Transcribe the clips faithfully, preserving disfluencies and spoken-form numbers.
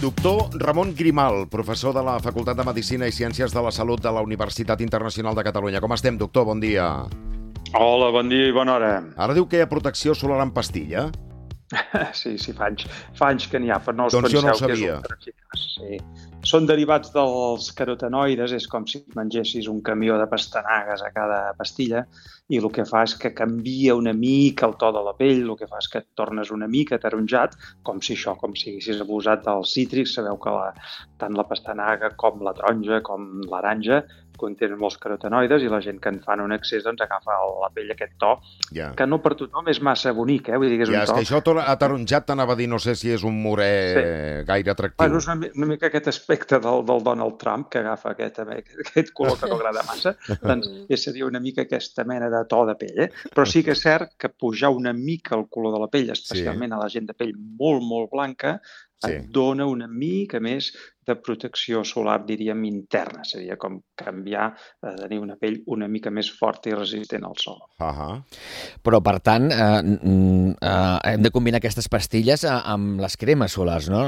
Doctor Ramon Grimal, professor de la Facultat de Medicina i Ciències de la Salut de la Universitat Internacional de Catalunya. Com estem, doctor? Bon dia. Hola, bon dia i bona hora. Ara diu que hi ha protecció solar en pastilla? Sí, sí, fa anys, fa anys que n'hi ha, però no us doncs penseu jo no ho que és sabia. ultraeficaç. Sí. Són derivats dels carotenoides, és com si mengessis un camió de pastanagues a cada pastilla, i el que fa és que canvia una mica el to de la pell, el que fa és que et tornes una mica ataronjat, com si això, com si haguessis abusat dels cítrics. Sabeu que la, tant la pastanaga com la taronja com l'aranja contenen molts carotenoides i la gent que en fan un excés doncs agafa la pell aquest to, ja. que no per tothom és massa bonic, eh? Vull dir que és ja, un to... és que això ataronjat t'anava a dir, no sé si és un morè sí. gaire atractiu. Bueno, és una, una mica aquest aspecte del, del Donald Trump, que agafa aquest, aquest color que no agrada massa, doncs seria una mica aquesta mena de to de pell, eh? Però sí que és cert que pujar una mica el color de la pell, especialment sí. a la gent de pell molt, molt blanca, sí. et dona una mica més de protecció solar, diríem, interna. Seria com canviar, eh, tenir una pell una mica més forta i resistent al sol. Uh-huh. Però, per tant, eh, eh, hem de combinar aquestes pastilles amb les cremes solars, no?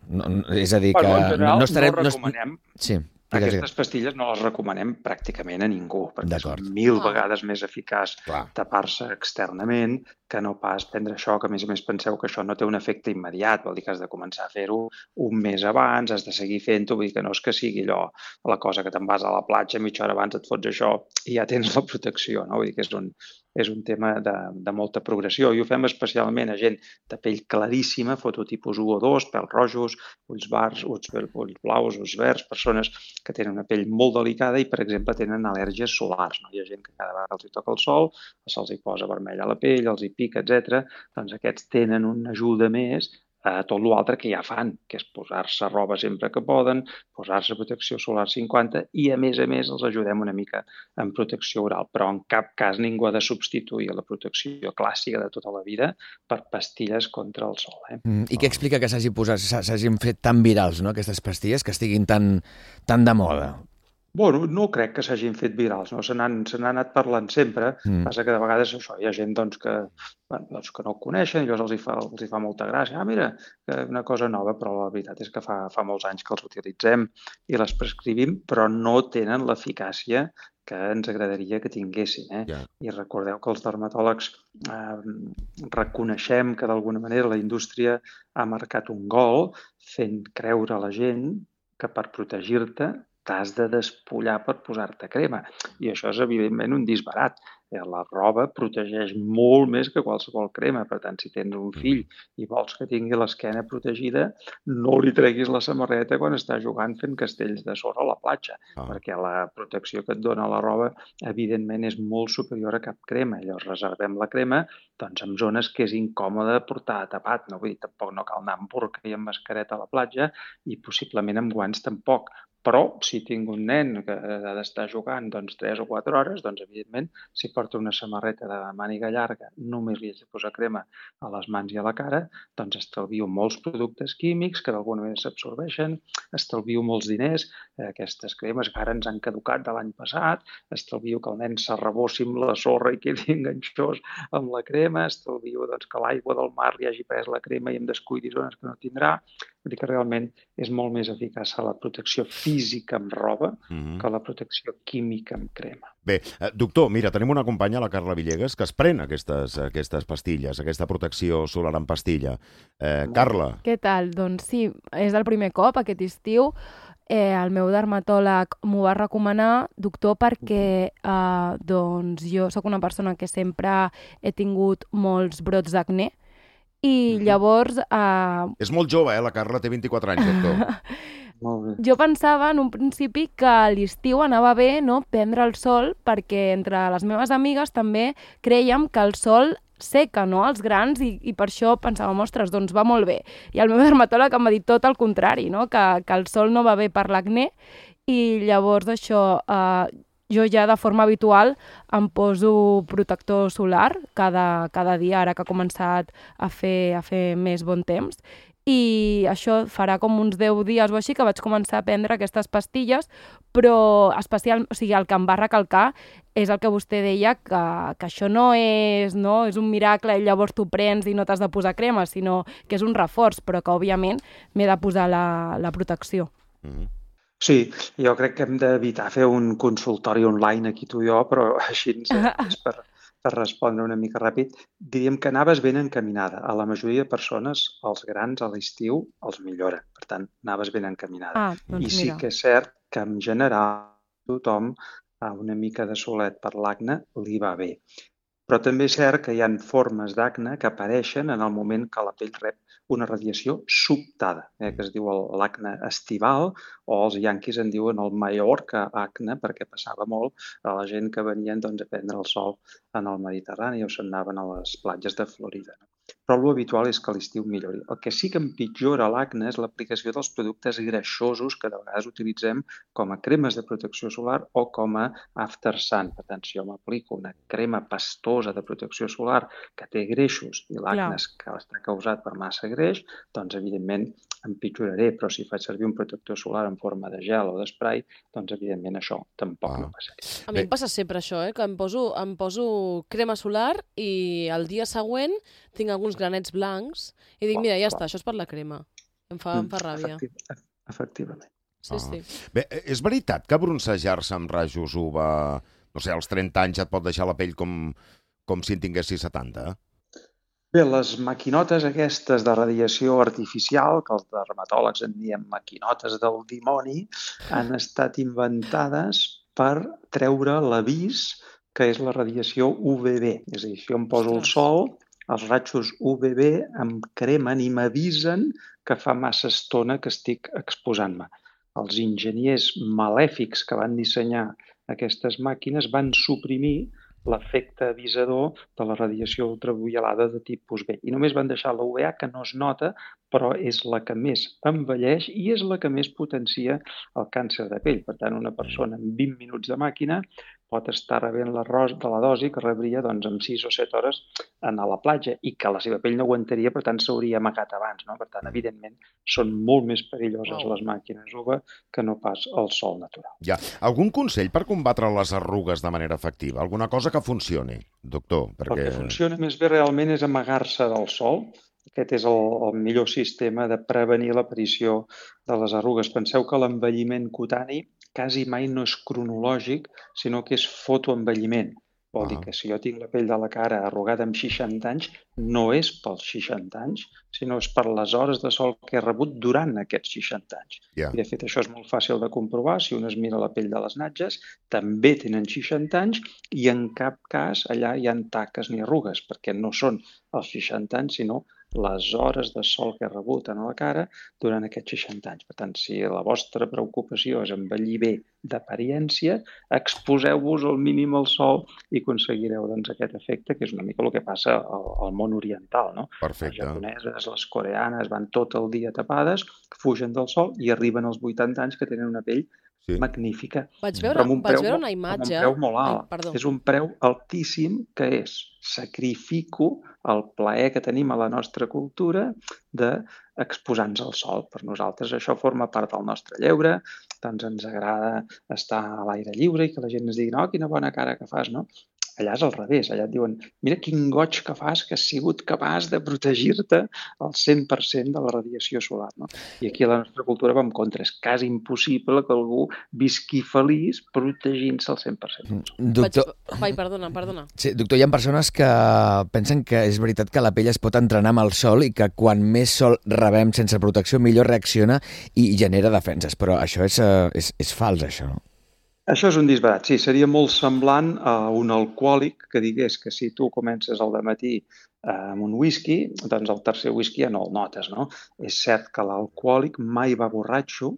no, no és a dir, que... Bueno, en general, no, estarem, no recomanem... No... Sí. Aquestes pastilles no les recomanem pràcticament a ningú, perquè és mil vegades més eficaç tapar-se externament que no pas prendre això, que a més a més penseu que això no té un efecte immediat, vol dir que has de començar a fer-ho un mes abans, has de seguir fent-ho, vull dir que no és que sigui allò, la cosa que te'n vas a la platja, mitja hora abans et fots això i ja tens la protecció, no? Vull dir que és un, és un tema de, de molta progressió, i ho fem especialment a gent de pell claríssima, fototipus u o dos, pèls rojos, ulls bars, ulls, ulls blaus, ulls verds, persones que tenen una pell molt delicada i, per exemple, tenen al·lèrgies solars, no? Hi ha gent que cada vegada els hi toca el sol, se'ls hi posa vermell a la pell, els hi pica, etcètera. Doncs aquests tenen una ajuda més a tot l'altre que ja fan, que és posar-se roba sempre que poden, posar-se protecció solar cinquanta i, a més a més, els ajudem una mica en protecció oral. Però en cap cas ningú ha de substituir la protecció clàssica de tota la vida per pastilles contra el sol. Eh? Mm, I què explica que s'hagi posat, s'hagin fet tan virals, no?, aquestes pastilles, que estiguin tan, tan de moda? Bueno, no crec que s'hagin fet virals, no? Se n'han anat parlant sempre, mm. passa que de vegades això, hi ha gent doncs, que, bueno, doncs, que no ho coneixen i llavors els hi, fa, els hi fa molta gràcia. Ah, mira, una cosa nova, però la veritat és que fa, fa molts anys que els utilitzem i les prescrivim, però no tenen l'eficàcia que ens agradaria que tinguessin. Eh? Yeah. I recordeu que els dermatòlegs eh, reconeixem que d'alguna manera la indústria ha marcat un gol fent creure a la gent que per protegir-te t'has de despullar per posar-te crema. I això és, evidentment, un disbarat. La roba protegeix molt més que qualsevol crema. Per tant, si tens un fill i vols que tingui l'esquena protegida, no li treguis la samarreta quan està jugant fent castells de sorra a la platja, ah. perquè la protecció que et dona la roba, evidentment, és molt superior a cap crema. Llavors, reservem la crema doncs, en zones que és incòmode portar tapat. No? Vull dir, tampoc no cal anar amb burca i amb mascareta a la platja i possiblement amb guants tampoc. Però, si tinc un nen que ha d'estar jugant doncs, tres o quatre hores, doncs, evidentment, si porta una samarreta de màniga llarga, només li haig de posar crema a les mans i a la cara, doncs estalvio molts productes químics que d'alguna manera s'absorbeixen, estalvio molts diners, aquestes cremes que ara ens han caducat de l'any passat, estalvio que el nen s'arrebossi amb la sorra i quedi enganxós amb la crema, estalvio doncs, que l'aigua del mar li hagi pres la crema i em descuidi zones que no tindrà. Vull dir que realment és molt més eficaç la protecció física amb roba mm-hmm. que la protecció química amb crema. Bé, eh, doctor, mira, tenim una companya, la Carla Villegas, que es pren aquestes, aquestes pastilles, aquesta protecció solar en pastilla. Eh, Carla. Què tal? Doncs sí, és el primer cop aquest estiu. Eh, el meu dermatòleg m'ho va recomanar, doctor, perquè eh, doncs jo sóc una persona que sempre he tingut molts brots d'acné. I llavors... Uh... És molt jove, eh? La Carla té vint-i-quatre anys, doctor. Molt bé. Jo pensava en un principi que a l'estiu anava bé, no?, prendre el sol, perquè entre les meves amigues també creiem que el sol seca, no?, els grans, i, i per això pensàvem, ostres, doncs va molt bé. I el meu dermatòleg em va dir tot el contrari, no?, que, que el sol no va bé per l'acné, i llavors això... Uh, jo ja de forma habitual em poso protector solar cada, cada dia, ara que ha començat a fer, a fer més bon temps. i això farà com uns deu dies o així que vaig començar a prendre aquestes pastilles, però especial, o sigui, el que em va recalcar és el que vostè deia, que, que això no és, no és un miracle i llavors tu prens i no t'has de posar crema, sinó que és un reforç, però que òbviament m'he de posar la, la protecció. Mm-hmm. Sí, jo crec que hem d'evitar fer un consultori online aquí tu i jo, però així ens és per, per respondre una mica ràpid. Diríem que anaves ben encaminada. A la majoria de persones, els grans a l'estiu els millora. Per tant, anaves ben encaminada. Ah, doncs I sí mira. que és cert que en general tothom a una mica de solet per l'acne li va bé. Però també és cert que hi ha formes d'acne que apareixen en el moment que la pell rep una radiació sobtada, eh, que es diu l'acne estival, o els yanquis en diuen el Mallorca acne, perquè passava molt a la gent que venien doncs, a prendre el sol en el Mediterrani o se'n anaven a les platges de Florida. No? Però l'habitual és que a l'estiu millori. El que sí que empitjora l'acne és l'aplicació dels productes greixosos que de vegades utilitzem com a cremes de protecció solar o com a after sun. Per tant, si jo m'aplico una crema pastosa de protecció solar que té greixos i l'acne està causat per massa greix, doncs evidentment empitjoraré, però si faig servir un protector solar en forma de gel o d'esprai, doncs evidentment això tampoc ah. no passaria. A mi em passa sempre això, eh? que em poso, em poso crema solar i el dia següent tinc alguns granets blancs i dic, mira, ja està, això és per la crema. Em fa, em fa ràbia. Efectiv, efectivament. Sí, sí. Ah. Bé, és veritat que broncejar-se amb rajos U V A, no sé, als trenta anys et pot deixar la pell com, com si en tinguessis setanta? Bé, les maquinotes aquestes de radiació artificial, que els dermatòlegs en diem maquinotes del dimoni, han estat inventades per treure l'avís que és la radiació U V B. És a dir, si jo em poso el sol, els ratxos U V B em cremen i m'avisen que fa massa estona que estic exposant-me. Els enginyers malèfics que van dissenyar aquestes màquines van suprimir l'efecte avisador de la radiació ultraviolada de tipus B. I només van deixar la U V A, que no es nota, però és la que més envelleix i és la que més potencia el càncer de pell. Per tant, una persona amb vint minuts de màquina pot estar rebent la, de la dosi que rebria doncs, en sis o set hores anar a la platja i que la seva pell no aguantaria, per tant, s'hauria amagat abans. No? Per tant, evidentment, són molt més perilloses les màquines U V que no pas el sol natural. Ja. Algun consell per combatre les arrugues de manera efectiva? Alguna cosa que funcioni, doctor? Perquè... El que funciona més bé realment és amagar-se del sol. Aquest és el, el millor sistema de prevenir l'aparició de les arrugues. Penseu que l'envelliment cutani quasi mai no és cronològic, sinó que és fotoenvelliment. Vol ah. dir que si jo tinc la pell de la cara arrugada amb seixanta anys, no és pels seixanta anys, sinó és per les hores de sol que he rebut durant aquests seixanta anys. Yeah. I de fet això és molt fàcil de comprovar. Si un es mira la pell de les natges, també tenen seixanta anys i en cap cas allà hi ha taques ni arrugues, perquè no són els seixanta anys, sinó les hores de sol que he rebut en la cara durant aquests seixanta anys. Per tant, si la vostra preocupació és envellir bé d'apariència, exposeu-vos al mínim al sol i aconseguireu doncs, aquest efecte, que és una mica el que passa al, al món oriental. No? Perfecte. Les japoneses, les coreanes van tot el dia tapades, fugen del sol i arriben als vuitanta anys que tenen una pell sí. magnífica. Vaig veure, un vaig veure una imatge... Amb un preu molt alt. Ai, és un preu altíssim que és sacrifico el plaer que tenim a la nostra cultura d'exposar-nos al sol. Per nosaltres això forma part del nostre lleure, doncs ens agrada estar a l'aire lliure i que la gent ens digui, no, quina bona cara que fas, no? Allà és al revés, allà et diuen, mira quin goig que fas, que has sigut capaç de protegir-te al cent per cent de la radiació solar. No? I aquí a la nostra cultura va en contra. És quasi impossible que algú visqui feliç protegint-se al cent per cent. Doctor... Vai, perdona, perdona. Sí, doctor, hi ha persones que pensen que és veritat que la pell es pot entrenar amb el sol i que quan més sol rebem sense protecció, millor reacciona i genera defenses. Però això és, és, és fals, això. Això és un disbarat. Sí, seria molt semblant a un alcohòlic que digués que si tu comences al dematí amb un whisky, doncs el tercer whisky ja no el notes, no? És cert que l'alcohòlic mai va borratxo,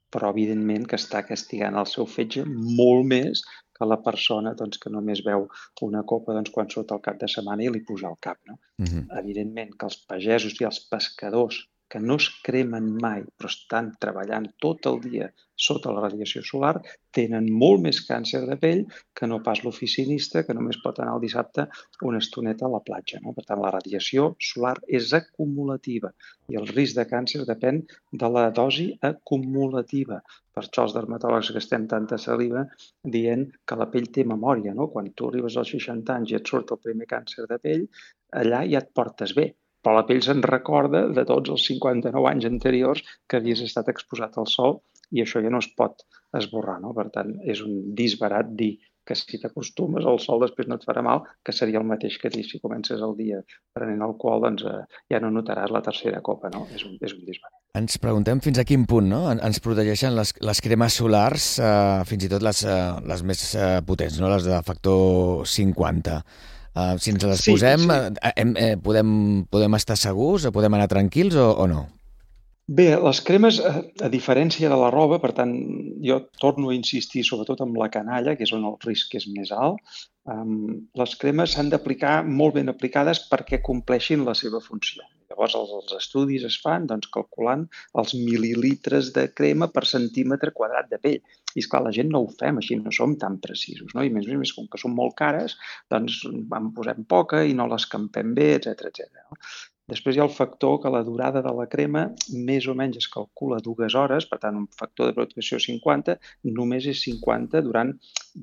però evidentment que està castigant el seu fetge molt més que la persona doncs, que només veu una copa doncs, quan surt al cap de setmana i li puja al cap. No? Uh-huh. Evidentment que els pagesos i els pescadors que no es cremen mai, però estan treballant tot el dia sota la radiació solar, tenen molt més càncer de pell que no pas l'oficinista, que només pot anar el dissabte una estoneta a la platja. No? Per tant, la radiació solar és acumulativa i el risc de càncer depèn de la dosi acumulativa. Per això els dermatòlegs que estem tanta saliva dient que la pell té memòria. No? Quan tu arribes als seixanta anys i et surt el primer càncer de pell, allà ja et portes bé. Però la pell se'n recorda de tots els cinquanta-nou anys anteriors que havies estat exposat al sol i això ja no es pot esborrar. No? Per tant, és un disbarat dir que si t'acostumes al sol després no et farà mal, que seria el mateix que dir si comences el dia prenent alcohol, doncs eh, ja no notaràs la tercera copa. No? És un, és un disbarat. Ens preguntem fins a quin punt no? ens protegeixen les, les cremes solars, eh, fins i tot les, eh, les més eh, potents, no? Les de factor cinquanta. Uh, si ens les Sí, posem, sí. eh, eh, podem, podem estar segurs, podem anar tranquils o, o no? Bé, les cremes, a, a diferència de la roba, per tant, jo torno a insistir sobretot amb la canalla, que és on el risc és més alt, um, les cremes s'han d'aplicar molt ben aplicades perquè compleixin la seva funció. Llavors, els, els estudis es fan doncs, calculant els mil·lilitres de crema per centímetre quadrat de pell. I, esclar, la gent no ho fem així, no som tan precisos. No? I més a més, com que són molt cares, doncs en posem poca i no l'escampem bé, etcètera, etcètera. No? Després hi ha el factor que la durada de la crema més o menys es calcula dues hores, per tant, un factor de protecció cinquanta només és cinquanta durant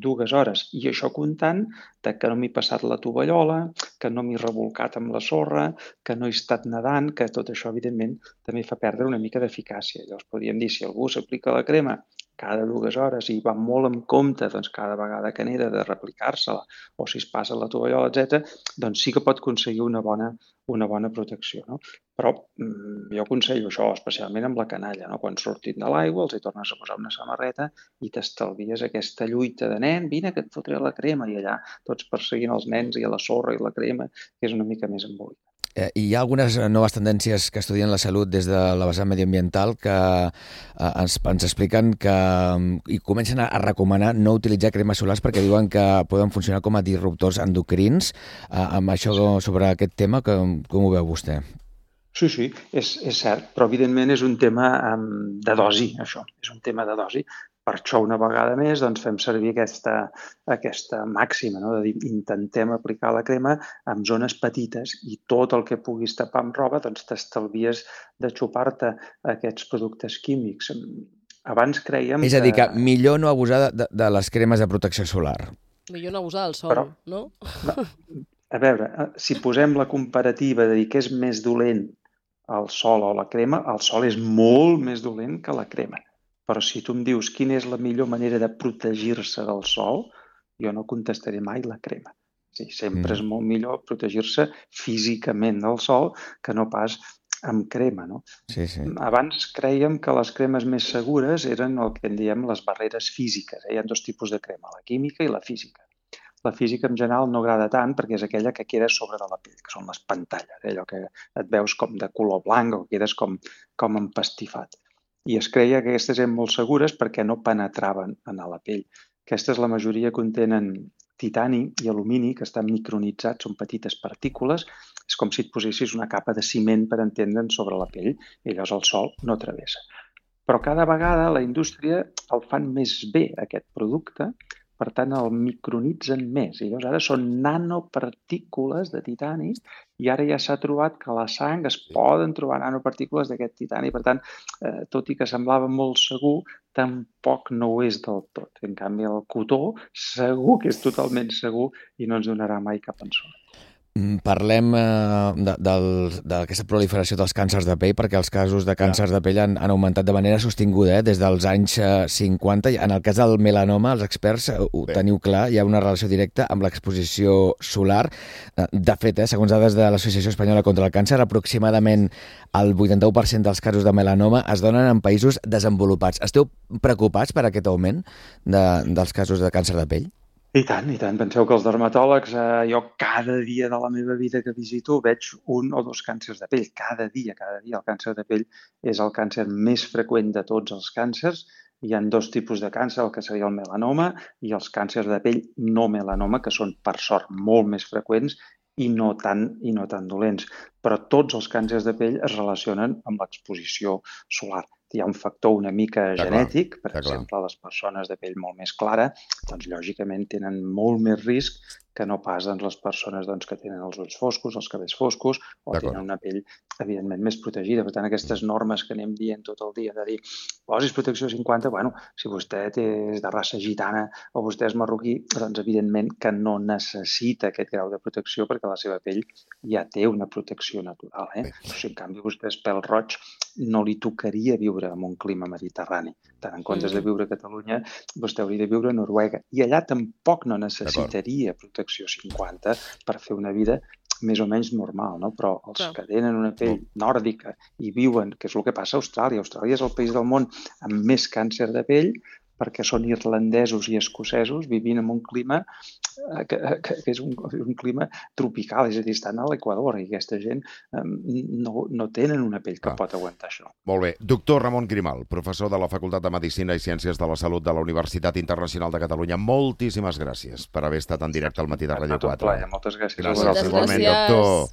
dues hores. I això comptant de que no m'he passat la tovallola, que no m'he revolcat amb la sorra, que no he estat nedant, que tot això, evidentment, també fa perdre una mica d'eficàcia. Llavors, podríem dir, si algú s'aplica la crema cada dues hores i va molt en compte doncs, cada vegada que n'era de replicar-se-la o si es passa la tovallola, etcètera, doncs sí que pot aconseguir una bona, una bona protecció. No? Però mm, jo aconsello això, especialment amb la canalla. No? Quan surtin de l'aigua els hi tornes a posar una samarreta i t'estalvies aquesta lluita de nen, vine que et fotré la crema, i allà tots perseguint els nens i a la sorra i la crema, que és una mica més embolicat. Eh, hi ha algunes noves tendències que estudien la salut des de la vessant medioambiental que eh, ens, ens expliquen que i comencen a, a recomanar no utilitzar cremes solars perquè diuen que poden funcionar com a disruptors endocrins. Eh, amb això sobre aquest tema, com, com ho veu vostè? Sí, sí, és, és cert, però evidentment és un tema um, de dosi, això, és un tema de dosi. Per això, una vegada més, doncs, fem servir aquesta, aquesta màxima, no? De dir, intentem aplicar la crema en zones petites i tot el que puguis tapar amb roba doncs, t'estalvies de xupar-te aquests productes químics. Abans creiem És a dir, que que millor no abusar de, de les cremes de protecció solar. Millor no abusar del sol, Però- no? A veure, si posem la comparativa de dir què és més dolent el sol o la crema, el sol és molt més dolent que la crema. Però si tu em dius quina és la millor manera de protegir-se del sol, jo no contestaré mai la crema. Sí, sempre Mm. és molt millor protegir-se físicament del sol que no pas amb crema. No? Sí, sí. Abans creiem que les cremes més segures eren el que en diem les barreres físiques. Eh? Hi ha dos tipus de crema, la química i la física. La física en general no agrada tant perquè és aquella que queda sobre de la pell, que són les pantalles, eh? Allò que et veus com de color blanc o quedes com, com empastifat. I es creia que aquestes eren molt segures perquè no penetraven en la pell. Aquestes, la majoria, contenen titani i alumini, que estan micronitzats, són petites partícules. És com si et posessis una capa de ciment, per entendre'n, sobre la pell, i llavors el sol no travessa. Però cada vegada la indústria el fan més bé, aquest producte, per tant, el micronitzen més. I llavors ara són nanopartícules de titani i ara ja s'ha trobat que a la sang es poden trobar nanopartícules d'aquest titani. Per tant, eh, tot i que semblava molt segur, tampoc no ho és del tot. En canvi, el cotó segur que és totalment segur i no ens donarà mai cap ensurt. Parlem eh, d'aquesta proliferació dels càncers de pell, perquè els casos de càncers de pell han, han augmentat de manera sostinguda eh, des dels anys eh, cinquanta. En el cas del melanoma, els experts eh, ho Bé. teniu clar, hi ha una relació directa amb l'exposició solar. Eh, de fet, eh, segons dades de l'Associació Espanyola contra el Càncer, aproximadament el vuitanta-u per cent dels casos de melanoma es donen en països desenvolupats. Esteu preocupats per aquest augment de, dels casos de càncer de pell? I tant, i tant. Penseu que els dermatòlegs, eh, jo cada dia de la meva vida que visito veig un o dos càncers de pell. Cada dia, cada dia. El càncer de pell és el càncer més freqüent de tots els càncers. Hi ha dos tipus de càncer, el que seria el melanoma i els càncers de pell no melanoma, que són, per sort, molt més freqüents i no tan, i no tan dolents. Però tots els càncers de pell es relacionen amb l'exposició solar. Hi ha un factor una mica Està genètic, clar, per exemple, les persones de pell molt més clara, doncs lògicament tenen molt més risc que no pas doncs, les persones doncs, que tenen els ulls foscos, els cabells foscos, o tenen una pell, evidentment, més protegida. Per tant, aquestes normes que anem dient tot el dia de dir posis protecció cinquanta, bueno, si vostè és de raça gitana o vostè és marroquí, doncs evidentment que no necessita aquest grau de protecció perquè la seva pell ja té una protecció natural. Eh? O sigui, en canvi, vostè és pèl roig, no li tocaria viure en un clima mediterrani. Tant en comptes de viure a Catalunya, vostè hauria de viure a Noruega. I allà tampoc no necessitaria protecció cinquanta per fer una vida més o menys normal, no? Però els Clar. que tenen una pell nòrdica i viuen, que és el que passa a Austràlia. Austràlia és el país del món amb més càncer de pell perquè són irlandesos i escocesos vivint en un clima que, que, que és un, un clima tropical, és a dir, estan a l'Equador i aquesta gent um, no, no tenen una pell que ah. pot aguantar això. Molt bé. Doctor Ramon Grimal, professor de la Facultat de Medicina i Ciències de la Salut de la Universitat Internacional de Catalunya, moltíssimes gràcies per haver estat en directe al matí de Ràdio quatre. Moltes gràcies. Gràcies, igualment, doctor.